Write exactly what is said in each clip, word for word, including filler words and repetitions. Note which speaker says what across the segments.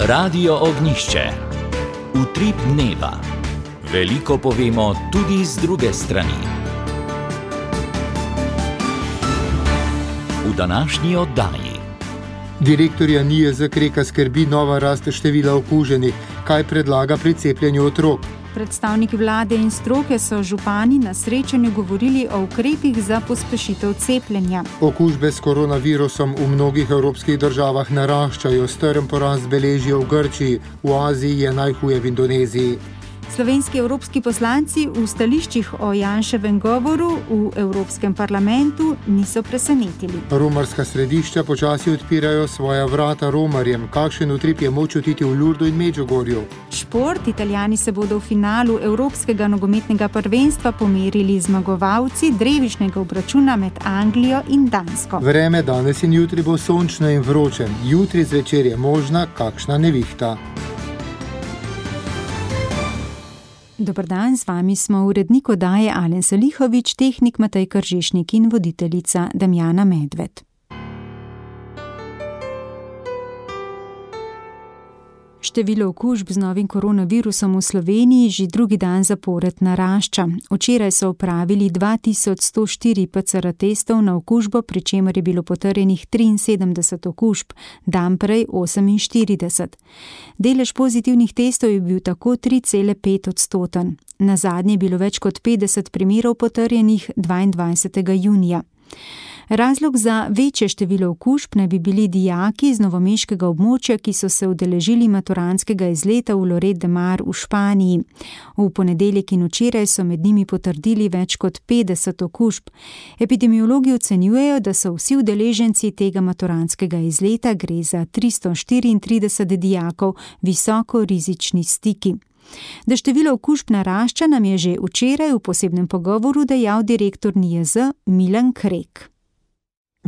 Speaker 1: Radio Ognjišče. Utrip dneva. Veliko povemo tudi z druge strani. V današnji oddaji.
Speaker 2: Direktorja N I J Z Kreka skrbi nova rast števila okuženih. Kaj predlaga pri cepljenju otrok?
Speaker 3: Predstavniki vlade in stroke so župani na srečanju govorili o ukrepih za pospešitev cepljenja.
Speaker 2: Okužbe s koronavirusom v mnogih evropskih državah naraščajo, strm porast beležijo v Grčiji, v Aziji je najhuje v Indoneziji.
Speaker 3: Slovenski evropski poslanci v stališčih o Janševem govoru v Evropskem parlamentu niso presenetili.
Speaker 2: Romarska središča počasi odpirajo svoja vrata romarjem. Kakšen utrip je moč čutiti v Lurdu in Medžugorju?
Speaker 3: Šport. Italijani se bodo v finalu Evropskega nogometnega prvenstva pomerili zmagovalci drevišnjega obračuna med Anglijo in Dansko.
Speaker 2: Vreme danes in jutri bo sončno in vroče. Jutri zvečer je možna kakšna nevihta.
Speaker 3: Dober dan, z vami smo urednik oddaje Alen Salihovič, tehnik Matej Kržišnik in voditeljica Damjana Medved. Število okužb z novim koronavirusom v Sloveniji že drugi dan zapored narašča. Včeraj so opravili dva tisoč sto štiri P C R testov na okužbo, pri čemer je bilo potrjenih triinsedemdeset okužb, dan prej oseminštirideset. Delež pozitivnih testov je bil tako tri cele pet odstoten. Nazadnje je bilo več kot petdeset primerov potrjenih dvaindvajsetega junija. Razlog za večje število okužb naj bi bili dijaki z novomeškega območja, ki so se udeležili maturantskega izleta v Lloret de Mar v Španiji. V ponedeljek in včeraj so med njimi potrdili več kot petdeset okužb. Epidemiologi ocenjujejo, da so vsi udeleženci tega maturantskega izleta, gre za tristo štiriintrideset dijakov, visoko rizični stiki. Da število okužb narašča, nam je že včeraj v posebnem pogovoru dejal direktor N I J Z Milan Krek.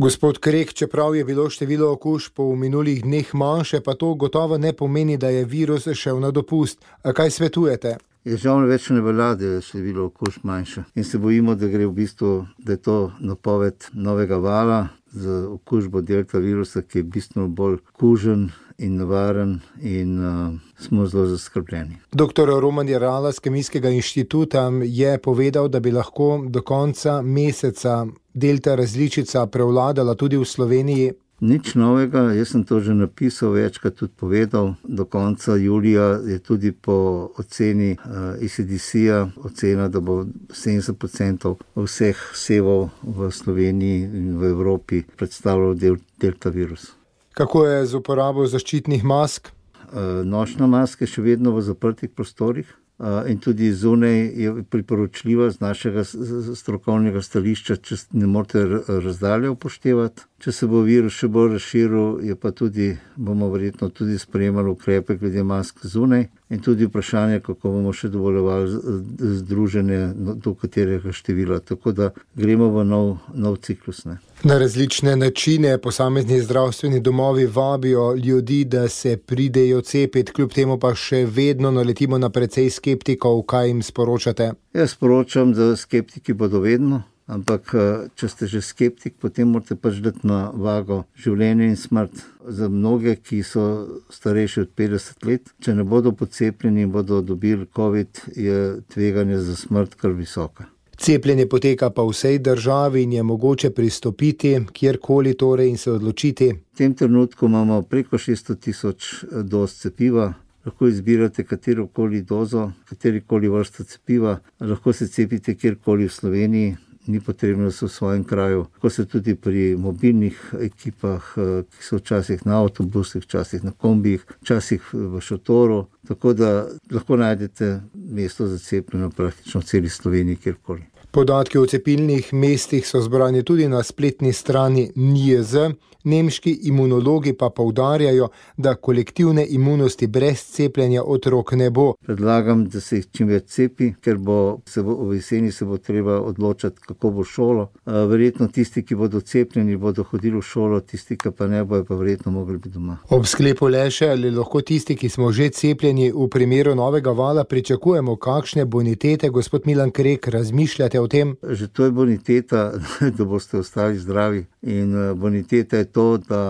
Speaker 2: Gospod Krek, čeprav je bilo število okužb v minulih dneh manjše, pa to gotovo ne pomeni, da je virus šel na dopust. A kaj svetujete?
Speaker 4: Je žal več ne velja, da je število okužb manjše. In se bojimo, da gre v bistvu, da je to napoved novega vala z okužbo delta virusa, ki je bistveno bolj kužen in nevaren in uh, smo zelo zaskrbljeni.
Speaker 2: Doktor Roman Jerala z Kemijskega inštituta je povedal, da bi lahko do konca meseca delta različica prevladala tudi v Sloveniji.
Speaker 4: Nič novega, jaz sem to že napisal, večkrat tudi povedal. Do konca julija je tudi po oceni uh, E C D C-ja ocena, da bo sedemdeset procentov vseh sevov v Sloveniji in v Evropi predstavljal del, delta virus.
Speaker 2: Kako je z uporabo zaščitnih mask?
Speaker 4: Uh, nošna maska je še vedno v zaprtih prostorih. Uh, in tudi zunaj je priporočljiva z našega strokovnega stališča, če ne morete razdalje upoštevati. Če se bo virus še bolj razširil, je pa tudi, bomo verjetno tudi sprejemali ukrepe glede mask zunaj in tudi vprašanje, kako bomo še dovoljevali združenje do katerega števila. Tako da gremo v nov, nov ciklus. Ne?
Speaker 2: Na različne načine posamezni zdravstveni domovi vabijo ljudi, da se pridejo cepiti, kljub temu pa še vedno naletimo na precej skeptikov. Kaj jim sporočate?
Speaker 4: Jaz sporočam, da skeptiki bodo vedno, ampak če ste že skeptik, potem morate pač dati na vago življenje in smrt. Za mnoge, ki so starejši od petdeset let, če ne bodo pocepljeni in bodo dobili COVID, je tveganje za smrt kar visoka.
Speaker 2: Cepljenje poteka pa v vsej državi in je mogoče pristopiti kjerkoli torej in se odločiti.
Speaker 4: V tem trenutku imamo preko šeststo tisoč doz cepiva. Lahko izbirate katerokoli dozo, katerikoli vrsto cepiva. Lahko se cepite kjerkoli v Sloveniji. Ni potrebno, da so v svojem kraju. Tako se tudi pri mobilnih ekipah, ki so včasih na avtobusih, včasih na kombijih, včasih v šotoru. Tako da lahko najdete mesto za cepljenje praktično v celi Sloveniji, kjerkoli.
Speaker 2: Podatki o cepilnih mestih so zbrani tudi na spletni strani N I J Z. Nemški imunologi pa poudarjajo, da kolektivne imunosti brez cepljenja otrok ne bo.
Speaker 4: Predlagam, da se jih čim več cepi, ker bo, se bo v jeseni se bo treba odločati, kako bo šolo. Verjetno tisti, ki bodo cepljeni, bodo hodili v šolo, tisti, ki pa ne bojo, pa verjetno mogli biti doma.
Speaker 2: Ob sklepu le še, ali lahko tisti, ki smo že cepljeni v primeru novega vala, pričakujemo kakšne bonitete? Gospod Milan Krek, razmišljate o tem?
Speaker 4: Že to je boniteta, da boste ostali zdravi. In boniteta je to, da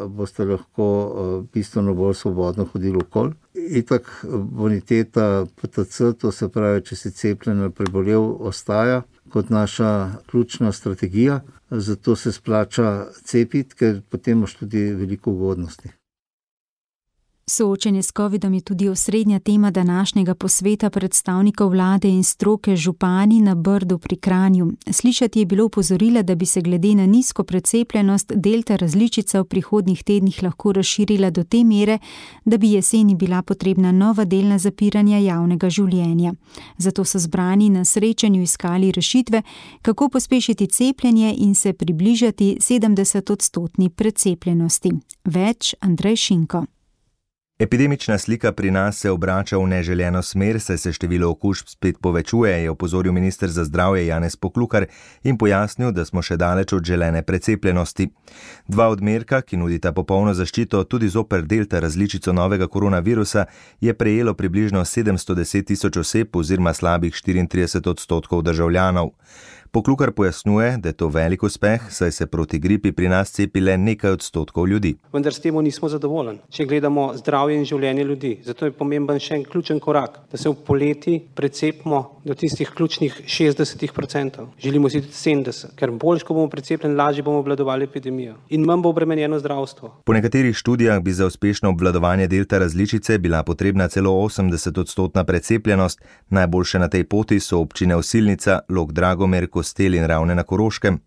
Speaker 4: boste lahko bistveno bolj svobodno hodili okoli. Itak boniteta P T C, to se pravi, če si cepljen ali prebolel, ostaja kot naša ključna strategija. Zato se splača cepiti, ker potem imaš tudi veliko ugodnosti.
Speaker 3: Soočenje s covidom je tudi osrednja tema današnjega posveta predstavnikov vlade in stroke župani na Brdu pri Kranju. Slišati je bilo opozorila, da bi se glede na nizko precepljenost delta različica v prihodnjih tednih lahko razširila do te mere, da bi jeseni bila potrebna nova delna zapiranja javnega življenja. Zato so zbrani na srečanju iskali rešitve, kako pospešiti cepljenje in se približati sedemdesetodstotni precepljenosti. Več Andrej Šinko.
Speaker 5: Epidemična slika pri nas se obrača v neželjeno smer, saj se število okužb spet povečuje, je opozoril minister za zdravje Janez Poklukar in pojasnil, da smo še daleč od želene precepljenosti. Dva odmerka, ki nudita popolno zaščito tudi zoper delta različico novega koronavirusa, je prejelo približno sedemsto deset tisoč oseb oziroma slabih štiriintrideset odstotkov državljanov. Poklukar pojasnjuje, da je to velik uspeh, saj se proti gripi pri nas cepi le nekaj odstotkov ljudi.
Speaker 6: Vendar s tem nismo zadovoljni, če gledamo zdravje in življenje ljudi. Zato je pomemben še en ključen korak, da se v poleti precepimo do tistih ključnih šestdeset odstotkov. Želimo si tudi sedemdeset, ker bolj, ko bomo precepljeni, lažje bomo obvladovali epidemijo in manj bo obremenjeno zdravstvo.
Speaker 5: Po nekaterih študijah bi za uspešno obvladovanje delta različice bila potrebna celo osemdeset odstotna precepljenost. Najboljše na tej poti so občine Osilnica, Log Dragomer, Kostel in Ravne na Koroškem.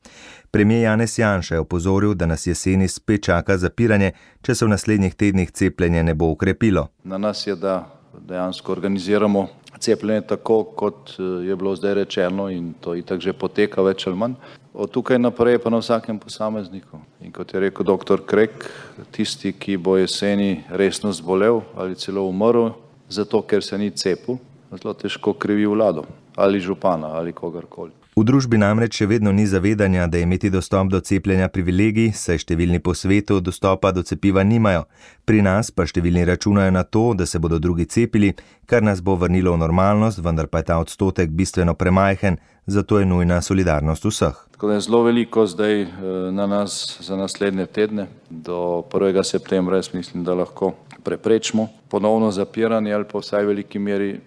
Speaker 5: Premier Janez Janša je opozoril, da nas jeseni spet čaka zapiranje, če se v naslednjih tednih cepljenje ne bo ukrepilo.
Speaker 7: Na nas je, da dejansko organiziramo cepljenje tako, kot je bilo zdaj rečeno, in to itak že poteka več ali manj. Od tukaj naprej pa na vsakem posamezniku. In kot je rekel doktor Krek, tisti, ki bo jeseni resno zbolel ali celo umrl, zato ker se ni cepil, zelo težko krivi vlado ali župana ali kogarkoli.
Speaker 5: V družbi namreč še vedno ni zavedanja, da je imeti dostop do cepljenja privilegij, saj številni po svetu dostopa do cepiva nimajo. Pri nas pa številni računajo na to, da se bodo drugi cepili, kar nas bo vrnilo v normalnost, vendar pa je ta odstotek bistveno premajhen, zato je nujna solidarnost vseh.
Speaker 7: Tako da je zelo veliko zdaj na nas za naslednje tedne. Do prvega septembra jaz mislim, da lahko preprečimo ponovno zapiranje ali pa vsaj v veliki meri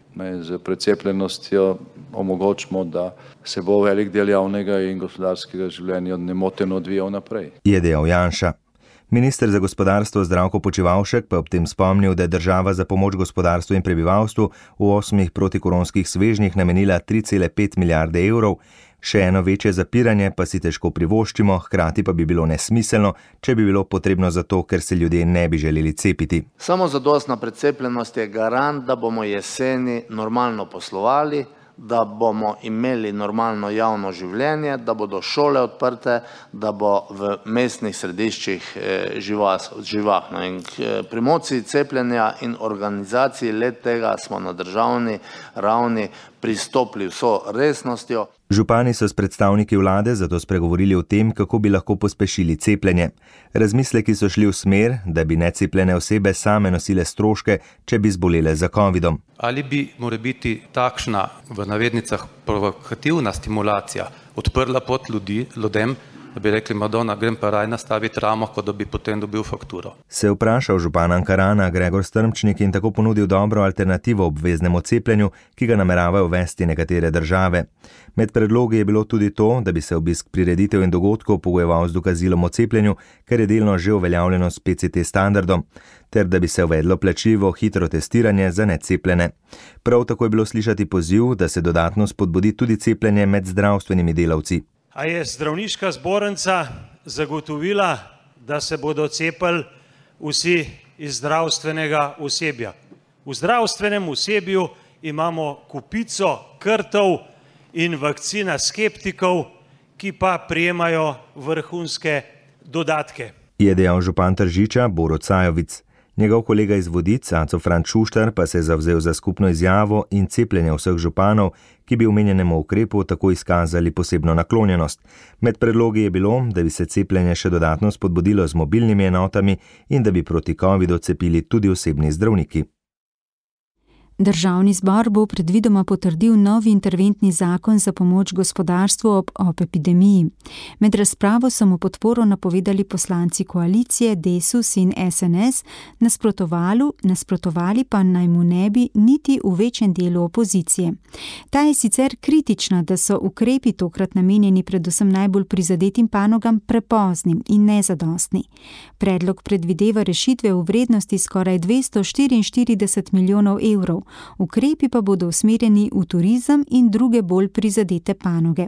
Speaker 7: z precepljenostjo omogočimo, da se bo velik del javnega in gospodarskega življenja nemoteno odvijal naprej.
Speaker 5: Je dejal Janša. Minister za gospodarstvo Zdravko Počivalšek pa ob tem spomnil, da je država za pomoč gospodarstvu in prebivalstvu v osmih protikoronskih svežnjih namenila tri cele pet milijarde evrov. Še eno večje zapiranje pa si težko privoščimo, hkrati pa bi bilo nesmiselno, če bi bilo potrebno zato, ker se ljudje ne bi želeli cepiti.
Speaker 8: Samo zadostna precepljenost je garant, da bomo jeseni normalno poslovali, da bomo imeli normalno javno življenje, da bodo šole odprte, da bo v mestnih središčih živahno. In k promociji cepljenja in organizaciji let tega smo na državni ravni pristopili vso resnostjo.
Speaker 5: Župani so s predstavniki vlade zato spregovorili o tem, kako bi lahko pospešili cepljenje. Razmisleki so šli v smer, da bi necepljene osebe same nosile stroške, če bi zbolele za covidom.
Speaker 9: Ali bi mora biti takšna, v navednicah, provokativna stimulacija odprla pot ljudi, ljudem, da bi rekli, Madonna, grem pa raj nastaviti ramo, kot da bi potem dobil fakturo.
Speaker 5: Se je vprašal župan Ankarana Gregor Strmčnik in tako ponudil dobro alternativo obveznemu cepljenju, ki ga nameravajo uvesti nekatere države. Med predlogi je bilo tudi to, da bi se obisk prireditev in dogodkov pogojeval z dokazilom o cepljenju, ker je delno že uveljavljeno s P C T standardom, ter da bi se uvedlo plačljivo hitro testiranje za necepljene. Prav tako je bilo slišati poziv, da se dodatno spodbudi tudi cepljenje med zdravstvenimi delavci.
Speaker 10: A je zdravniška zbornica zagotovila, da se bodo cepili vsi iz zdravstvenega osebja? V zdravstvenem osebju imamo kupico krtov in vakcina skeptikov, ki pa prijemajo vrhunske dodatke.
Speaker 5: Je dejal župan Tržiča Borut Sajovic. Njegov kolega iz Vodic, Aco Franc Šuštar, pa se je zavzel za skupno izjavo in cepljenje vseh županov, ki bi omenjenemu ukrepu tako izkazali posebno naklonjenost. Med predlogi je bilo, da bi se cepljenje še dodatno spodbudilo z mobilnimi enotami in da bi proti covidu cepili tudi osebni zdravniki.
Speaker 3: Državni zbor bo predvidoma potrdil novi interventni zakon za pomoč gospodarstvu ob, ob epidemiji. Med razpravo so mu podporo napovedali poslanci koalicije Desus in S N S, nasprotovali, nasprotovali pa naj mu ne bi niti v večjem delu opozicije. Ta je sicer kritična, da so ukrepi tokrat namenjeni predvsem najbolj prizadetim panogam prepoznim in nezadostni. Predlog predvideva rešitve v vrednosti skoraj dvesto štiriinštirideset milijonov evrov. Ukrepi pa bodo usmerjeni v turizem in druge bolj prizadete panoge.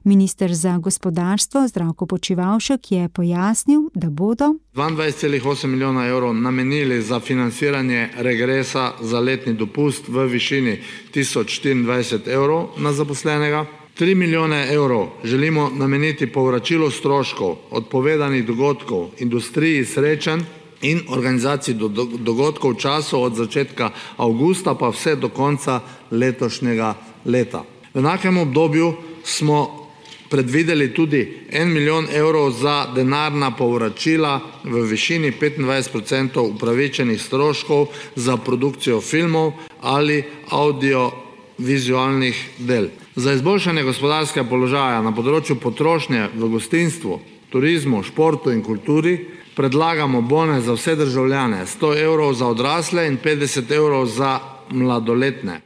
Speaker 3: Minister za gospodarstvo Zdravko Počivalšek je pojasnil, da bodo
Speaker 11: dvaindvajset celih osem milijona evrov namenili za financiranje regresa za letni dopust v višini tisoč štiriindvajset evrov na zaposlenega. tri milijone evrov želimo nameniti povračilu stroškov odpovedanih dogodkov, industriji srečanj in organizaciji dogodkov v času od začetka avgusta pa vse do konca letošnjega leta. V enakem obdobju smo predvideli tudi en milijon evrov za denarna povračila v višini petindvajset procentov upravičenih stroškov za produkcijo filmov ali audiovizualnih del. Za izboljšanje gospodarskega položaja na področju potrošnje v gostinstvu, turizmu, športu in kulturi predlagamo bone za vse državljane, sto evrov za odrasle in petdeset evrov za mladoletne.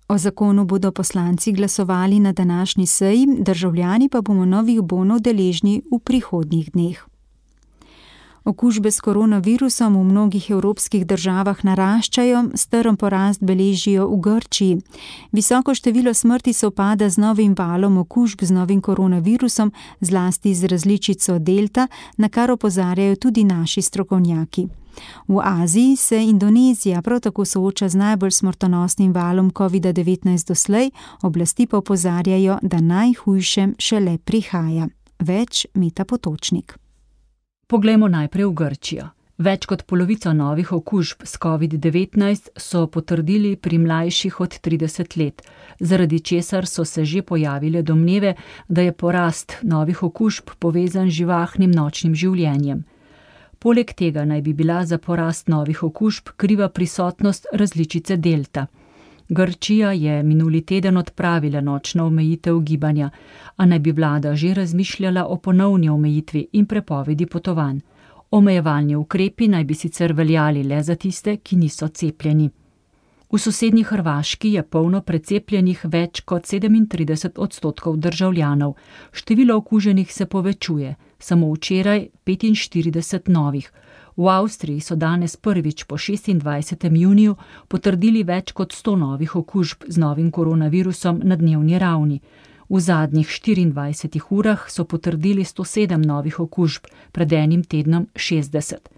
Speaker 3: O zakonu bodo poslanci glasovali na današnji seji, državljani pa bomo novih bonov deležni v prihodnjih dneh. Okužbe s koronavirusom v mnogih evropskih državah naraščajo, strm porast beležijo v Grčiji. Visoko število smrti sovpada z novim valom okužb z novim koronavirusom, zlasti z različico delta, na kar opozarjajo tudi naši strokovnjaki. V Aziji se Indonezija prav tako sooča z najbolj smrtonosnim valom kovida devetnajst doslej, oblasti pa opozarjajo, da najhujše šele prihaja. Več Meta Potočnik.
Speaker 12: Poglejmo najprej v Grčijo. Več kot polovico novih okužb s covid devetnajst so potrdili pri mlajših od trideset let, zaradi česar so se že pojavile domneve, da je porast novih okužb povezan z živahnim nočnim življenjem. Poleg tega naj bi bila za porast novih okužb kriva prisotnost različice delta. Grčija je minuli teden odpravila nočno omejitev gibanja, a naj bi vlada že razmišljala o ponovni omejitvi in prepovedi potovanj. Omejevalni ukrepi naj bi sicer veljali le za tiste, ki niso cepljeni. V sosednji Hrvaški je polno precepljenih več kot sedemintrideset odstotkov državljanov. Število okuženih se povečuje, samo včeraj petinštirideset novih. V Avstriji so danes prvič po šestindvajsetem juniju potrdili več kot sto novih okužb z novim koronavirusom na dnevni ravni. V zadnjih štiriindvajsetih urah so potrdili sto sedem novih okužb, pred enim tednom šestdeset.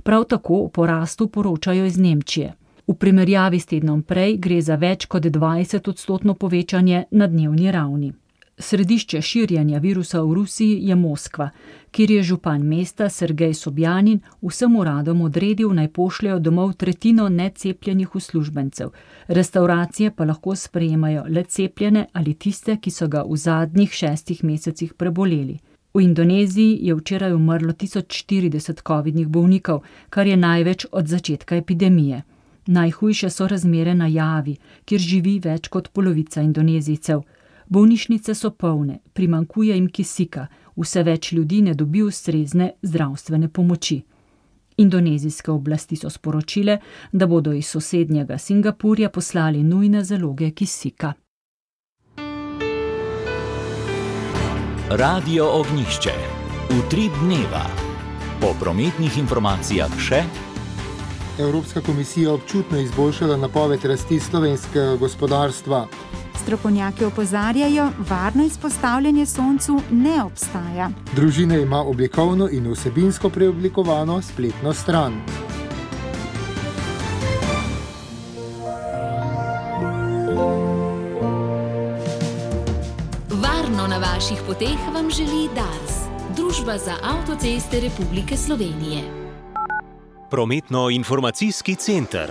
Speaker 12: Prav tako o porastu poročajo iz Nemčije. V primerjavi s tednom prej gre za več kot dvajset odstotno povečanje na dnevni ravni. Središče širjenja virusa v Rusiji je Moskva, kjer je župan mesta Sergej Sobjanin vsem uradom odredil naj pošljejo domov tretjino necepljenih uslužbencev. Restauracije pa lahko sprejemajo le cepljene ali tiste, ki so ga v zadnjih šestih mesecih preboleli. V Indoneziji je včeraj umrlo tisoč štirideset covidnih bolnikov, kar je največ od začetka epidemije. Najhujše so razmere na Javi, kjer živi več kot polovica Indonezijcev. Bolnišnice so polne, primanjkuje jim kisika, vse več ljudi ne dobi ustrezne zdravstvene pomoči. Indonezijske oblasti so sporočile, da bodo iz sosednjega Singapurja poslali nujne zaloge kisika.
Speaker 1: Radio Ognjišče. Utrip dneva. Po prometnih informacijah še
Speaker 2: Evropska komisija občutno izboljšala napoved rasti slovenskega gospodarstva.
Speaker 3: Strokovnjaki opozarjajo, varno izpostavljanje soncu ne obstaja.
Speaker 2: Družina ima oblikovno in vsebinsko preoblikovano spletno stran.
Speaker 13: Varno na vaših poteh vam želi Dars, Družba za avtoceste Republike Slovenije.
Speaker 14: Prometno-informacijski center.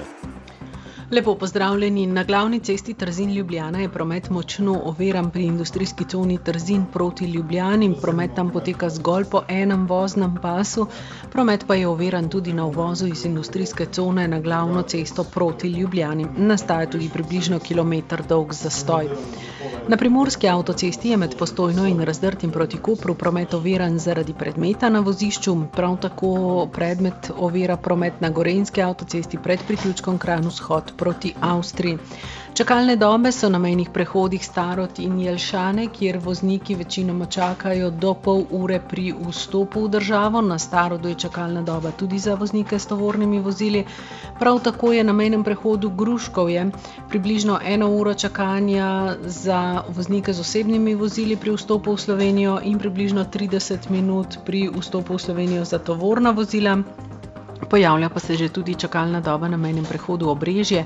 Speaker 14: Lepo pozdravljeni. Na glavni cesti Trzin-Ljubljana je promet močno oviran pri industrijski coni Trzin proti Ljubljani. Promet tam poteka zgolj po enem voznem pasu. Promet pa je oviran tudi na uvozu iz industrijske cone na glavno cesto proti Ljubljani. Nastaja tudi približno kilometer dolg zastoj. Na primorski avtocesti je med Postojno in Razdrtim proti Kopru promet oviran zaradi predmeta na vozišču. Prav tako predmet ovira promet na gorenjski avtocesti pred priključkom Kranj-Vzhod proti Avstriji. Čakalne dobe so na mejnih prehodih Starod in Jelšane, kjer vozniki večinoma čakajo do pol ure pri vstopu v državo. Na Starodu je čakalna doba tudi za voznike s tovornimi vozili. Prav tako je na mejnem prehodu Gruškovje približno eno uro čakanja za voznike z osebnimi vozili pri vstopu v Slovenijo in približno trideset minut pri vstopu v Slovenijo za tovorna vozila. Pojavlja pa se že tudi čakalna doba na mejnem prehodu Obrežje.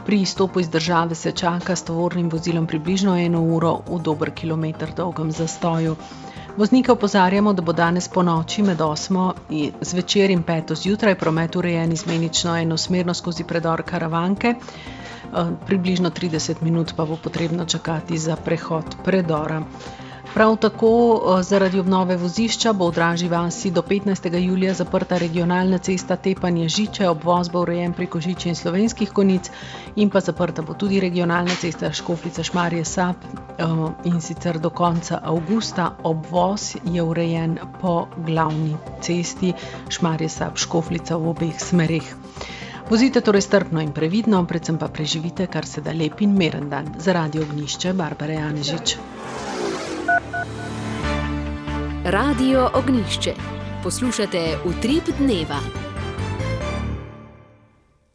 Speaker 14: Pri izstopu iz države se čaka s tovornim vozilom približno eno uro v dober kilometer dolgem zastoju. Voznike opozarjamo, da bo danes po noči med osmo zvečer in peto zjutraj promet urejen izmenično enosmerno skozi predor Karavanke. Približno trideset minut pa bo potrebno čakati za prehod predora. Prav tako zaradi obnove vozišča bo v Dražji vasi do petnajstega julija zaprta regionalna cesta Tepanje-Žiče, obvoz bo urejen preko Žiče in Slovenskih Konjic in pa zaprta bo tudi regionalna cesta Škofljica-Šmarje-Sap in sicer do konca avgusta. Obvoz je urejen po glavni cesti Šmarje-Sap-Škofljica v obeh smereh. Vozite torej strpno in previdno, predvsem pa preživite kar se da lep in miren dan. Za Radio Ognjišče, Barbara Janežič.
Speaker 13: Radio Ognjišče. Poslušate Utrip dneva.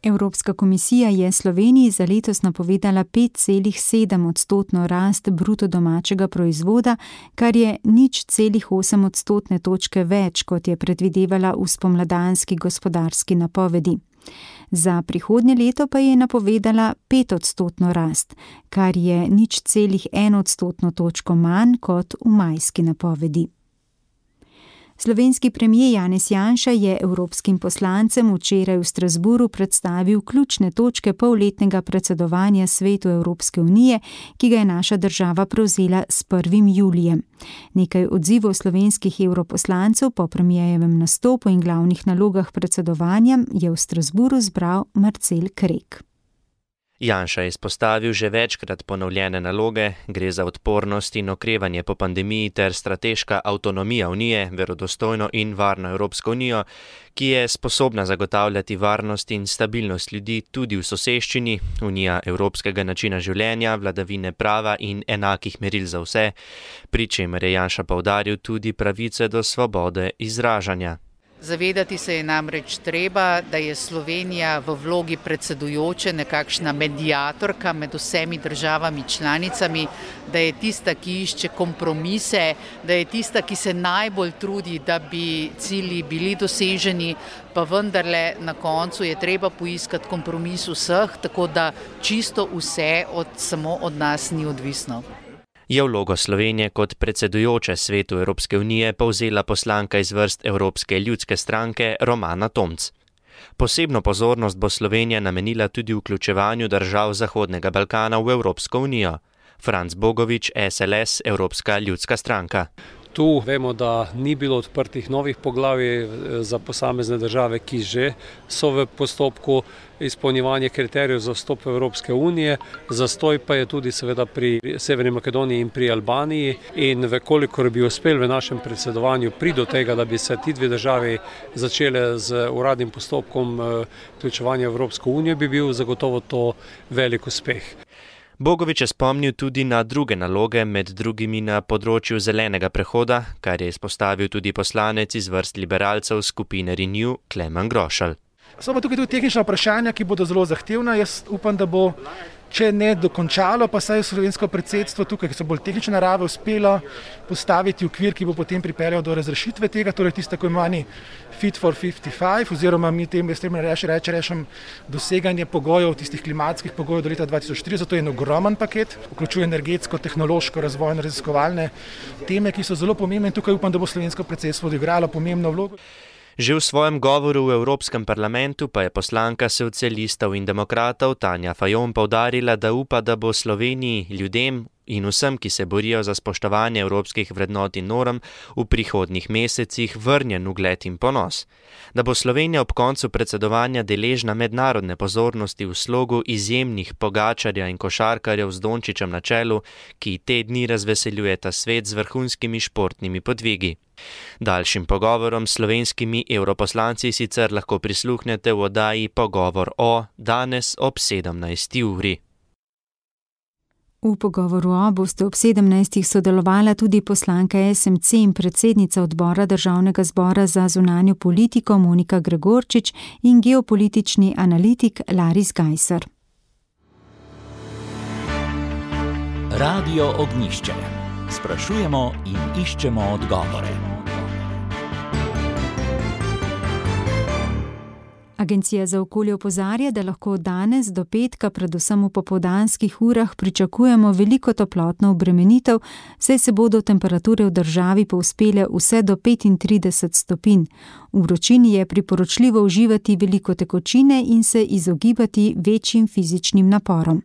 Speaker 3: Evropska komisija je Sloveniji za letos napovedala pet celih sedem odstotno rast bruto domačega proizvoda, kar je nič celih osem odstotne točke več, kot je predvidevala v spomladanski gospodarski napovedi. Za prihodnje leto pa je napovedala pet odstotno rast, kar je nič celih en odstotno točko manj kot v majski napovedi. Slovenski premier Janez Janša je evropskim poslancem včeraj v Strasbourgu predstavil ključne točke polletnega predsedovanja Svetu Evropske unije, ki ga je naša država prevzela s prvim julijem. Nekaj odzivov slovenskih evroposlancev po premierjevem nastopu in glavnih nalogah predsedovanja je v Strasbourgu zbral Marcel Krek.
Speaker 15: Janša je izpostavil že večkrat ponovljene naloge, gre za odpornost in okrevanje po pandemiji ter strateška avtonomija Unije, verodostojno in varno Evropsko unijo, ki je sposobna zagotavljati varnost in stabilnost ljudi tudi v soseščini, unija evropskega načina življenja, vladavine prava in enakih meril za vse, pri čemer je Janša poudaril tudi pravice do svobode izražanja.
Speaker 16: Zavedati se je namreč treba, da je Slovenija v vlogi predsedujoče nekakšna mediatorka med vsemi državami članicami, da je tista, ki išče kompromise, da je tista, ki se najbolj trudi, da bi cilji bili doseženi, pa vendarle na koncu je treba poiskati kompromis vseh, tako da čisto vse od, samo od nas ni odvisno.
Speaker 15: Je vlogo Slovenije kot predsedujoče Svetu Evropske unije povzela poslanka iz vrst Evropske ljudske stranke Romana Tomc. Posebno pozornost bo Slovenija namenila tudi vključevanju držav Zahodnega Balkana v Evropsko unijo. Franc Bogovič, S L S, Evropska ljudska stranka.
Speaker 17: Tu vemo, da ni bilo odprtih novih poglavij za posamezne države, ki že so v postopku izpolnjevanja kriterijev za vstop v Evropske unije. Zastoj pa je tudi seveda pri Severni Makedoniji in pri Albaniji in vekolikor bi uspel v našem predsedovanju priti do tega, da bi se ti dve državi začele z uradnim postopkom vključevanja v Evropsko unijo, bi bil zagotovo to velik uspeh.
Speaker 15: Bogovič je spomnil tudi na druge naloge, med drugimi na področju zelenega prehoda, kar je izpostavil tudi poslanec iz vrst liberalcev skupine Renew Klemen Grošelj.
Speaker 18: So pa tukaj tudi tehnična vprašanja, ki bodo zelo zahtevna. Jaz upam, da bo, če ne dokončalo, pa saj slovensko predsedstvo tukaj, ki so bolj tehnične narave, uspelo postaviti okvir, ki bo potem pripeljal do razrešitve tega, torej tisti tako imenovani Fit for petinpetdeset pet, oziroma mi tem reči, reči, rečem doseganje pogojev, tistih klimatskih pogojev do leta dva tisoč trideset, to je en ogromen paket, vključuje energetsko, tehnološko, razvojno, raziskovalne teme, ki so zelo pomembne in tukaj upam, da bo slovensko predsedstvo odigralo pomembno vlogo.
Speaker 15: Že v svojem govoru v Evropskem parlamentu pa je poslanka socialistov in demokratov Tanja Fajon poudarila, da upa, da bo Sloveniji, ljudem in vsem, ki se borijo za spoštovanje evropskih vrednot in norm, v prihodnjih mesecih vrnjen ugled in ponos. Da bo Slovenija ob koncu predsedovanja deležna mednarodne pozornosti v slogu izjemnih Pogačarja in košarkarjev z Dončićem na čelu, ki te dni razveseljujeta svet z vrhunskimi športnimi podvigi. Daljšim pogovorom s slovenskimi evroposlanci sicer lahko prisluhnete v oddaji Pogovor o danes ob sedemnajsti uri.
Speaker 3: V pogovoru o boste ob sedemnajstih sodelovala tudi poslanka S M C in predsednica odbora Državnega zbora za zunanjo politiko Monika Gregorčič in geopolitični analitik Laris Gajser.
Speaker 1: Radio Ognjišče. Sprašujemo in iščemo odgovore.
Speaker 3: Agencija za okolje opozarja, da lahko danes do petka, predvsem v popoldanskih urah, pričakujemo veliko toplotno obremenitev, saj se bodo temperature v državi povzpele vse do petintrideset stopinj. V vročini je priporočljivo uživati veliko tekočine in se izogibati večjim fizičnim naporom.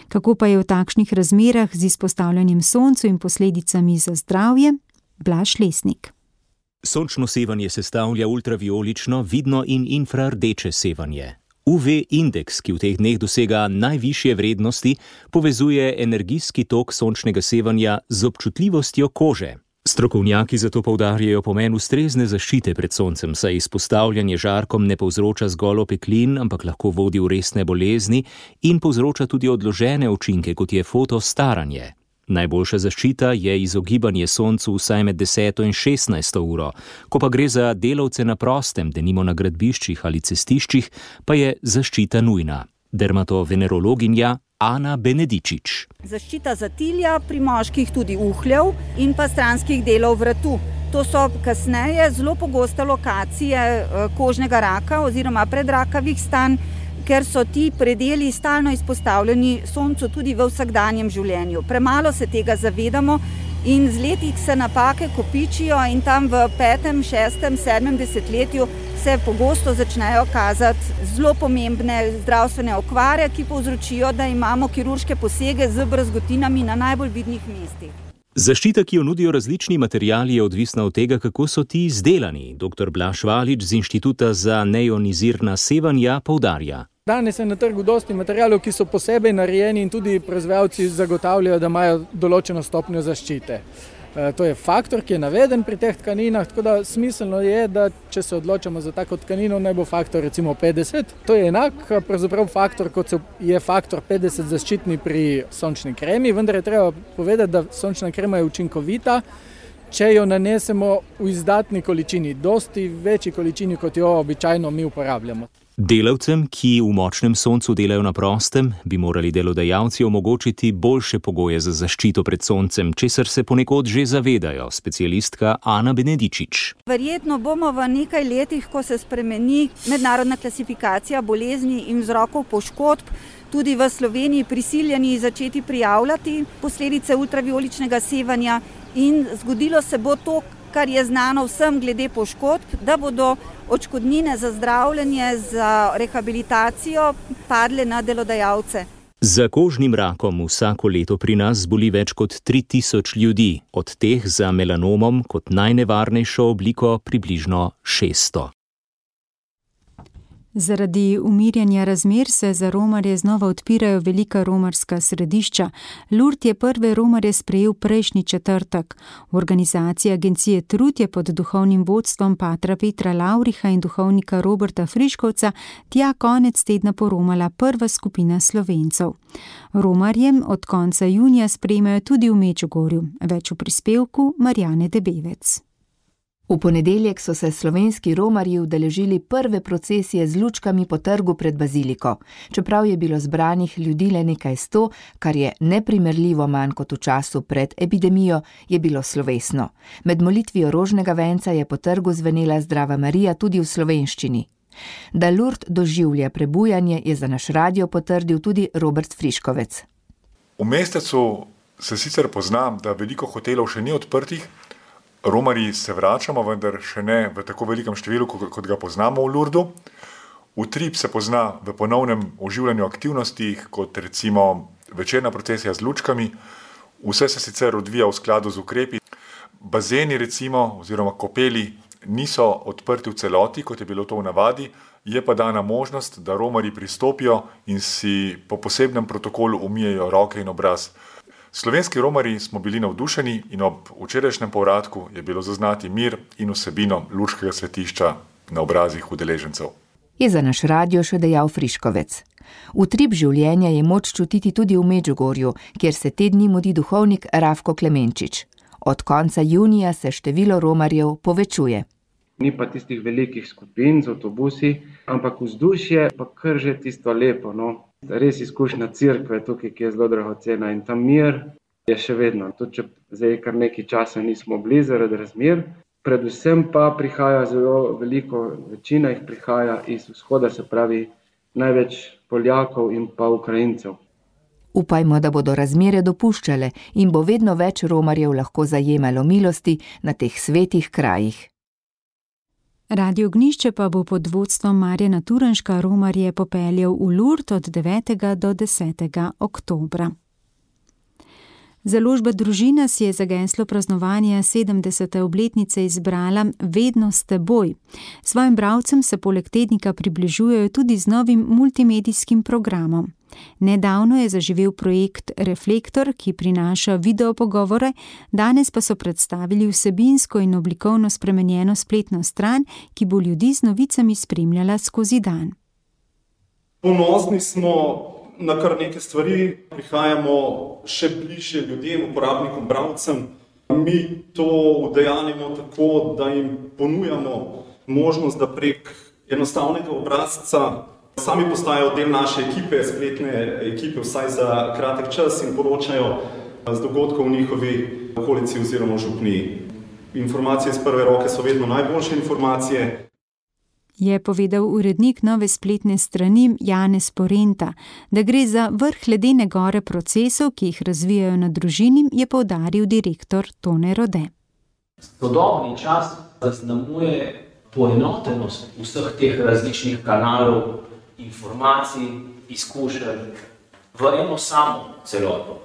Speaker 3: Kako pa je v takšnih razmerah z izpostavljanjem soncu in posledicami za zdravje? Blaž Lesnik.
Speaker 19: Sončno sevanje sestavlja ultraviolično, vidno in infrardeče sevanje. U V indeks, ki v teh dneh dosega najvišje vrednosti, povezuje energijski tok sončnega sevanja z občutljivostjo kože. Strokovnjaki zato poudarjajo pomen ustrezne zaščite pred soncem, saj izpostavljanje žarkom ne povzroča zgolj opeklin, ampak lahko vodi v resne bolezni in povzroča tudi odložene učinke, kot je fotostaranje. Najboljša zaščita je izogibanje soncu vsaj med deseto in šestnajsto uro, ko pa gre za delavce na prostem, denimo na gradbiščih ali cestiščih, pa je zaščita nujna. Dermatovenerologinja Ana Benedičič.
Speaker 20: Zaščita zatilja, pri moških tudi uhljev in pa stranskih delov vratu. To so kasneje zelo pogoste lokacije kožnega raka oziroma predrakavih stanj, ker so ti predeli stalno izpostavljeni soncu tudi v vsakdanjem življenju. Premalo se tega zavedamo in z leti se napake kopičijo in tam v petem, šestem, sedmem desetletju se pogosto začnejo kazati zelo pomembne zdravstvene okvare, ki povzročijo, da imamo kirurške posege z brazgotinami na najbolj vidnih mestih.
Speaker 19: Zaščita, ki jo nudijo različni materiali, je odvisna od tega, kako so ti izdelani. Doktor Blaž Valič z Inštituta za neionizirna sevanja poudarja.
Speaker 21: Danes je na trgu dosti materialov, ki so posebej narejeni in tudi proizvajalci zagotavljajo, da imajo določeno stopnjo zaščite. To je faktor, ki je naveden pri teh tkaninah, tako da smiselno je, da če se odločamo za tako tkanino, naj bo faktor recimo petdeset. To je enak pravzaprav faktor, kot je faktor petdeset zaščitni pri sončni kremi, vendar je treba povedati, da sončna krema je učinkovita, če jo nanesemo v izdatni količini, dosti večji količini, kot jo običajno mi uporabljamo.
Speaker 19: Delavcem, ki v močnem soncu delajo na prostem, bi morali delodajalci omogočiti boljše pogoje za zaščito pred soncem, česar se ponekod že zavedajo, specialistka Ana Benedičič.
Speaker 20: Verjetno bomo v nekaj letih, ko se spremeni mednarodna klasifikacija bolezni in vzrokov poškodb, tudi v Sloveniji prisiljeni začeti prijavljati posledice ultravioličnega sevanja in zgodilo se bo to, kar je znano vsem glede poškodb, da bodo odškodnine za zdravljenje, za rehabilitacijo padle na delodajalce.
Speaker 19: Za kožnim rakom vsako leto pri nas zboli več kot tri tisoč ljudi, od teh za melanomom kot najnevarnejšo obliko približno šeststo.
Speaker 3: Zaradi umirjanja razmer se za romarje znova odpirajo velika romarska središča. Lourdes je prve romarje sprejel prejšnji četrtek. V organizaciji agencije Trud je pod duhovnim vodstvom patra Petra Lavriha in duhovnika Roberta Friškovca tja konec tedna poromala prva skupina Slovencev. Romarjem od konca junija sprejmejo tudi v Medžugorju. Več v prispevku Marjane Debevec.
Speaker 22: V ponedeljek so se slovenski romarji udeležili prve procesije z lučkami po trgu pred baziliko. Čeprav je bilo zbranih ljudi le nekaj sto, kar je neprimerljivo manj kot v času pred epidemijo, je bilo slovesno. Med molitvijo rožnega venca je po trgu zvenela Zdrava Marija tudi v slovenščini. Da Lourdes doživlja prebujanje, je za naš radio potrdil tudi Robert Friškovec.
Speaker 23: V mestecu se sicer poznam, da veliko hotelov še ni odprtih,
Speaker 4: Romarji se vračamo, vendar še ne v tako velikem številu, kot ga poznamo v Lurdu. Utrip se pozna v ponovnem oživljanju aktivnosti, kot recimo večerna procesija z lučkami. Vse se sicer odvija v skladu z ukrepi. Bazeni recimo oziroma kopeli niso odprti v celoti, kot je bilo to v navadi, je pa dana možnost, da romarji pristopijo in si po posebnem protokolu umijejo roke in obraz. Slovenski romarji smo bili navdušeni in ob včerajšnjem povratku je bilo zaznati mir in vsebino lučkega svetišča na obrazih udeležencev.
Speaker 22: Je za naš radio še dejal Friškovec. Utrip življenja je moč čutiti tudi v Medžugorju, kjer se te dni mudi duhovnik Rafko Klemenčič. Od konca junija se število romarjev povečuje.
Speaker 6: Ni pa tistih velikih skupin z avtobusi, ampak vzdušje pa kar že tisto lepo. No. Res izkušnja cerkve tukaj, ki je zelo dragocena in ta mir je še vedno. Tudi če zdaj kar nekaj časa nismo bili zaradi razmer, predvsem pa prihaja zelo veliko, večina jih prihaja iz vzhoda, se pravi največ Poljakov in pa Ukrajincev.
Speaker 22: Upajmo, da bodo razmere dopuščale in bo vedno več romarjev lahko zajemalo milosti na teh svetih krajih.
Speaker 3: Radio Ognjišče pa bo pod vodstvom Marjana Turnška romarje popeljal v Lurd od devetega do desetega oktobra. Založba Družina si je za geslo praznovanja sedemdesete obletnice izbrala Vedno s teboj. Svojim bralcem se poleg tednika približujejo tudi z novim multimedijskim programom. Nedavno je zaživel projekt Reflektor, ki prinaša videopogovore, danes pa so predstavili vsebinsko in oblikovno spremenjeno spletno stran, ki bo ljudi z novicami spremljala skozi dan.
Speaker 23: Ponosni smo na kar neke stvari, prihajamo še bližje ljudem, uporabnikom, bralcem. Mi to udejanjimo tako, da jim ponujamo možnost, da prek enostavnega obrazca sami postajajo del naše ekipe, spletne ekipe, vsaj za kratek čas in poročajo z dogodkov v njihovi okolici oziroma župniji. Informacije iz prve roke so vedno najboljše informacije.
Speaker 3: Je povedal urednik nove spletne strani Janez Porenta. Da gre za vrh ledene gore procesov, ki jih razvijajo na Družini, je poudaril direktor Tone Rode.
Speaker 24: Sodobni čas zaznamuje poenotenost vseh teh različnih kanalov, informacij, izkušenj v eno samo celoto.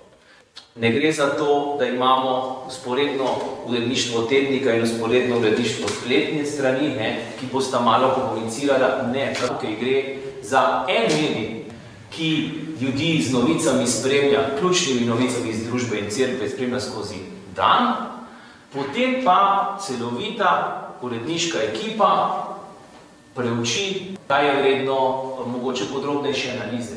Speaker 24: Ne gre za to, da imamo vzporedno uredništvo tednika in vzporedno uredništvo spletne strani, ne, ki bosta malo komunicirala. Ne, tukaj gre za en medij, ki ljudi z novicami spremlja, ključnimi novicami iz družbe in cerkve spremlja skozi dan, potem pa celovita uredniška ekipa preuči, kaj je vredno mogoče podrobnejše analize.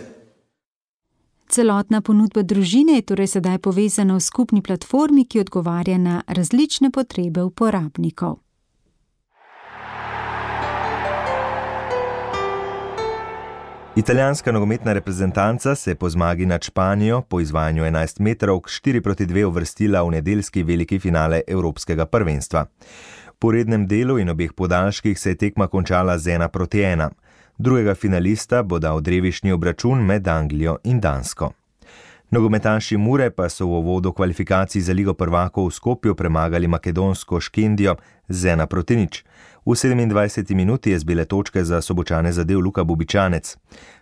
Speaker 3: Celotna ponudba Družine je torej sedaj povezana v skupni platformi, ki odgovarja na različne potrebe uporabnikov.
Speaker 5: Italijanska nogometna reprezentanca se po zmagi nad Španijo po izvajanju enajstmetrovk štiri proti dve uvrstila v nedeljski veliki finale Evropskega prvenstva. Po rednem delu in obeh podaljških se je tekma končala z ena proti ena. Drugega finalista bo dal drevišnji obračun med Anglijo in Dansko. Nogometaši Mure pa so v uvodu kvalifikacij za Ligo prvakov v Skopju premagali makedonsko Škendijo z ena proti nič. V sedemindvajseti minuti je z bele točke za Sobočane zadel Luka Bubičanec.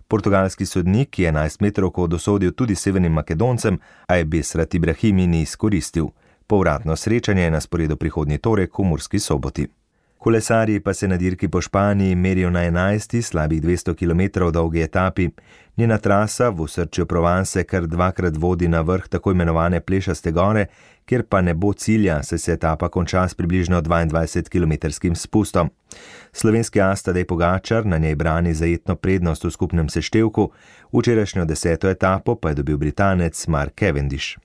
Speaker 5: Portugalski sodnik je enajstmetrovko dosodil tudi severnim Makedoncem, a je Besrat Ibrahimi ni izkoristil. Povratno srečanje je na sporedu prihodnji torek v Murski Soboti. Kolesarji pa se na dirki po Španiji merijo na enajsti, slabih dvesto kilometrov dolgi etapi. Njena trasa v osrčju Provence kar dvakrat vodi na vrh tako imenovane Plešaste gore, kjer pa ne bo cilja, saj se etapa konča s približno dvaindvajsetkilometrskim spustom. Slovenski as Tadej Pogačar na njej brani zajetno prednost v skupnem seštevku, včerajšnjo deseto etapo pa je dobil Britanec Mark Cavendish.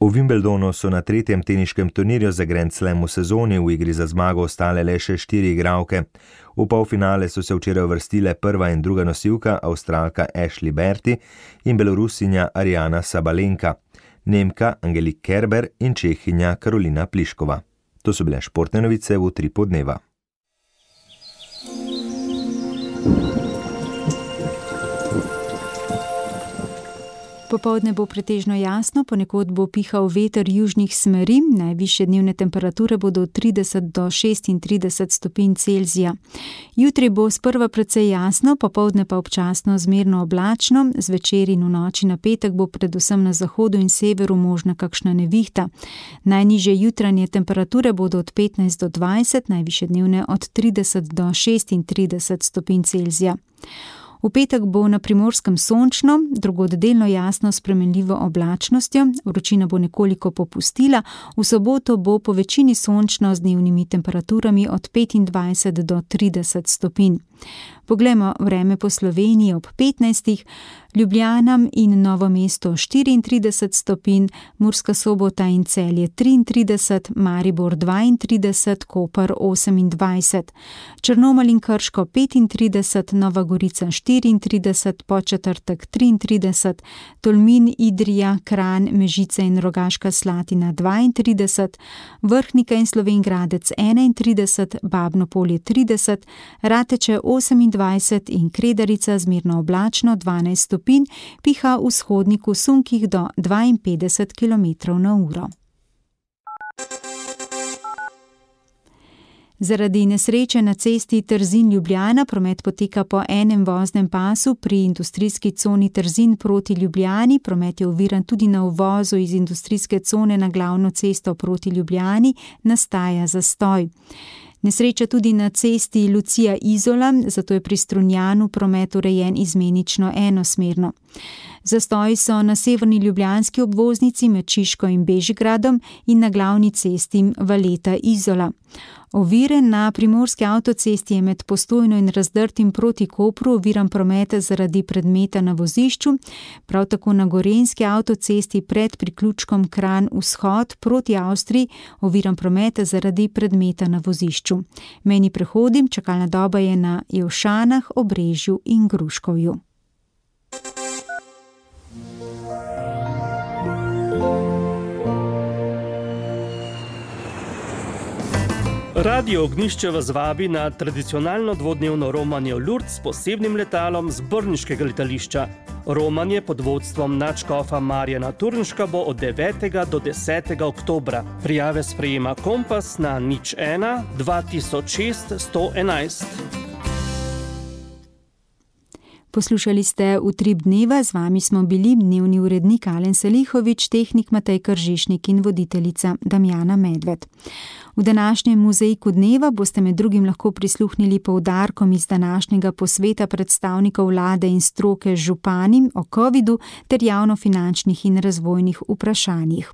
Speaker 5: V Wimbledonu so na tretjem teniškem turnirju za Grand Slam v sezoni v igri za zmago ostale le še štiri igralke. V polfinale so se včeraj uvrstile prva in druga nosilka, Avstralka Ashley Berti in Belorusinja Ariana Sabalenka, Nemka Angelique Kerber in Čehinja Karolina Pliškova. To so bile športne novice v Utripu dneva.
Speaker 3: Popoldne bo pretežno jasno, ponekod bo pihal veter južnih smeri, najvišje dnevne temperature bodo od trideset do šestintrideset stopinj Celzija. Jutri bo sprva precej jasno, popoldne pa občasno zmerno oblačno, zvečer in v noči na petek bo predvsem na zahodu in severu možna kakšna nevihta. Najnižje jutranje temperature bodo od petnajst do dvajset, najvišje dnevne od trideset do šestintrideset stopinj Celzija. V petek bo na Primorskem sončno, drugod delno jasno s spremenljivo oblačnostjo, vročina bo nekoliko popustila, v soboto bo po večini sončno z dnevnimi temperaturami od petindvajset do trideset stopinj. Poglejmo vreme po Sloveniji ob petnajstih, Ljubljana in Novo mesto štiriintrideset stopinj, Murska Sobota in Celje triintrideset, Maribor dvaintrideset, Koper osemindvajset, Črnomelj in Krško petintrideset, Nova Gorica štiriintrideset, Podčetrtek triintrideset, Tolmin, Idrija, Kranj, Mežica in Rogaška Slatina dvaintrideset, Vrhnika in Slovenj Gradec enaintrideset, Babno Polje trideset, Rateče osemindvajset in Kredarica zmerno oblačno dvanajst stopinj, piha vzhodnik v sunkih do dvainpetdeset kilometrov na uro. Zaradi nesreče na cesti Trzin-Ljubljana promet poteka po enem voznem pasu pri industrijski coni Trzin proti Ljubljani. Promet je oviran tudi na uvozu iz industrijske cone na glavno cesto proti Ljubljani, nastaja zastoj. Nesreča tudi na cesti Lucija-Izola, zato je pri Strunjanu promet urejen izmenično enosmerno. Zastoji so na severni ljubljanski obvoznici med Šiško in Bežigradom in na glavni cesti Valeta-Izola. Ovire na primorski avtocesti je med Postojno in Razdrtim proti Kopru oviran promet zaradi predmeta na vozišču, prav tako na gorenjski avtocesti pred priključkom Kranj-Vzhod proti Avstriji oviran promet zaradi predmeta na vozišču. Mejni prehodi, čakalna doba je na Jelšanah, Obrežju in Gruškovju.
Speaker 7: Radio Ognjišče vas vabi na tradicionalno dvodnevno romanje v Lourdes s posebnim letalom z brniškega letališča. Romanje pod vodstvom nadškofa Marjana Turnška bo od devetega do desetega oktobra. Prijave sprejema Kompas na nič ena dva tisoč šest sto enajst.
Speaker 3: Poslušali ste Utrip dneva, z vami smo bili dnevni urednik Alen Salihovič, tehnik Matej Kržišnik in voditeljica Damjana Medved. V današnjem muzejku dneva boste med drugim lahko prisluhnili poudarkom iz današnjega posveta predstavnikov vlade in stroke z župani o covidu ter javnofinančnih in razvojnih vprašanjih.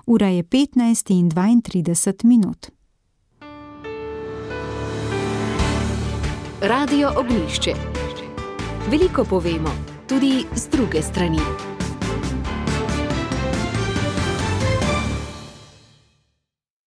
Speaker 3: Ura je petnajst in dvaintrideset minut.
Speaker 13: Radio Ognjišče. Veliko povemo, tudi z druge strani.